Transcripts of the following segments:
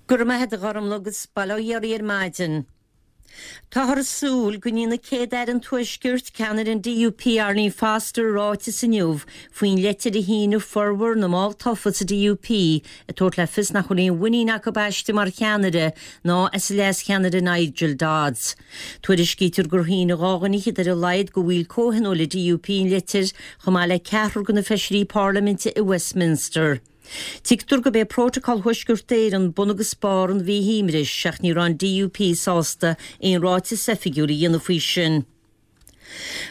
Go raibh maith agat a Ghormlaith agus bail ó Dhia oraibh ar maidin. Táthar ag súil go ndéanfaidh Céad-Aire an Tuaiscirt, ceannaire an DUP Arlene Foster ráiteas inniu faoin leitir a shínigh formhór na mball tofa sa DUP ag tabhairt le fios nach bhfuil aon mhuinín acu aisti mar cheannaire ná as a leas-cheannaire Nigel Dodds. Tuairiscítear gur shínigh 2 dhuine fhichead ar a laghad de bhaill comhthionóil an DUP an litir chomh maith le ceathrar de na feisirí parlaiminte i Westminster. Tuigtear gurb é Prótacal Thuaisceart Éireann bun agus barr an mhíthuimris ach ní raibh an DUP sásta aon ráiteas oifigiúil a dhéanamh faoi sin.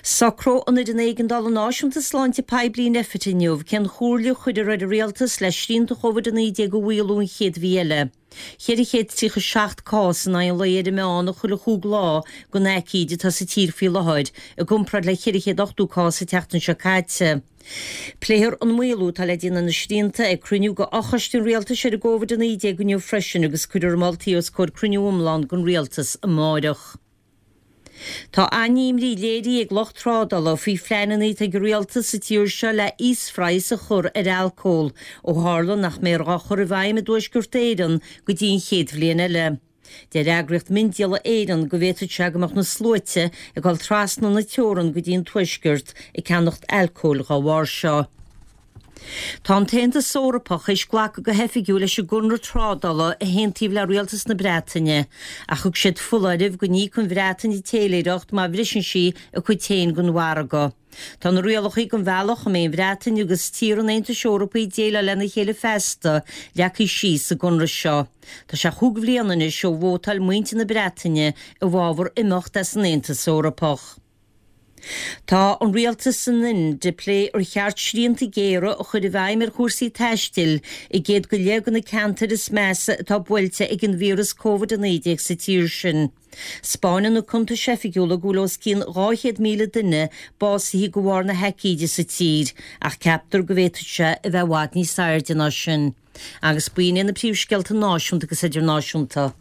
Socróidh an Fhoireann Éigeandála Náisiúnta Sláinte Poiblí Nphet inniu cén chomhairle a chuirfear ar an rialtas le srianta Covid-19 a mhaolú an chéad mhí eile. 437 cás in aghaidh an lae ar an meán chuile chúig lá den aicíd atá sa tír faoi láthair, i gcomparáid le 480 cás an tseachtain seo caite. Pléifear an maolú atá le déanamh ar na srianta ag cruinniú de Fhochoiste an Rialtais ar an gCovid-19 inniu freisin agus cuirfear a moltaí os comhair cruinniú iomlán den Rialtas amáireach. Tá an-imní léirithe ag lucht trádála faoi phleananna atá ag an rialtas sa tír seo le íosphraghas a chur ar alcól, ó tharla nach mbeifear dhá chur i bhfeidhm i dTuaisceart Éireann go dtí an chéad bhliain eile. Deir Eagraíocht Miondíola Éireann go bhféadfadh sé go mbeadh na sluaite ag dul trasna na teorann go dtí an Tuaisceart ag ceannacht alcóil dhá bharr seo. Tá an tAontas Eorpach théis glacadh go hoifigiúil leis an gconradh trádála a haontaíodh le rialtas na Breataine, ach thug siad foláireamh go n-íocfaidh an Bhreatain an téiléireacht má bhriseann sí a cuid féin den mhargadh. Tá na rialacha don bhealach a mbeidh an Bhreatain agus tíortha an Aontais Eorpaigh ag déileáil lena chéile feasta leagtha síos sa gconradh seo. Tá sé chúig bhliana anois ó vótáil muintir na Breataine i bhfabhar imeacht as an Aontas Eorpach. Tá an rialtas san Ind ag plé ar cheart srianta géara a chur i bhfeidhm ar chúrsaí taistil i gcéad go leith de na ceantair is measa atá buailte ag an víreas Covid-19 sa tír sin. 'Spáineann na cuntais oifigiúla go bhfuil os cionn 200,000 duine básaithe de bharr na haicíde sa tír ach ceaptar go bhféadfadh sé a bheith i bhfad níos airde ná sin. Agus b'in iad na príomhscéalta náisiúnta agus idirnáisiúnta.